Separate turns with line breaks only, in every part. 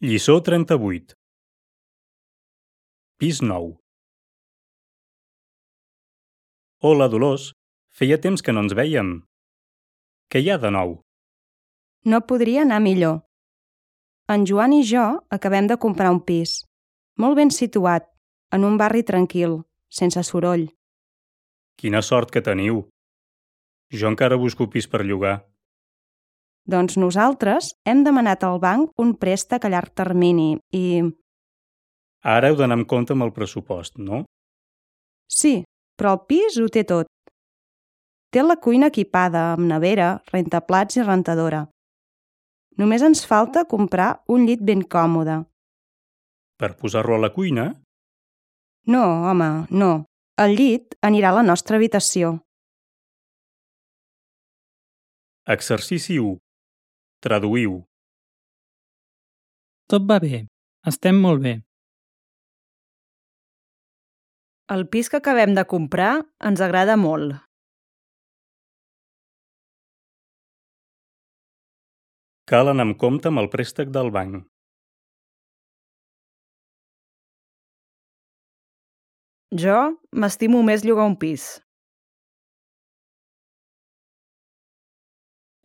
Lliçó 38. Pis nou. Hola, Dolors. Feia temps que no ens vèiem. Què hi ha de nou?
No podria anar millor. En Joan i jo acabem de comprar un pis, molt ben situat, en un barri tranquil, sense soroll.
Quina sort que teniu. Jo encara busco pis per llogar.
Doncs nosaltres hem demanat al banc un préstec a llarg termini i...
Ara heu d'anar amb compte amb el pressupost, no?
Sí, però el pis ho té tot. Té la cuina equipada amb nevera, rentaplats i rentadora. Només ens falta comprar un llit ben còmode.
Per posar-lo a la cuina?
No, home, no. El llit anirà a la nostra habitació.
Exercici 1. Traduïu.
Tot va bé. Estem molt bé.
El pis que acabem de comprar ens agrada molt.
Cal anar amb compte amb el préstec del banc.
Jo m'estimo més llogar un pis.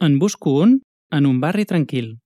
En busco un en un barri tranquil.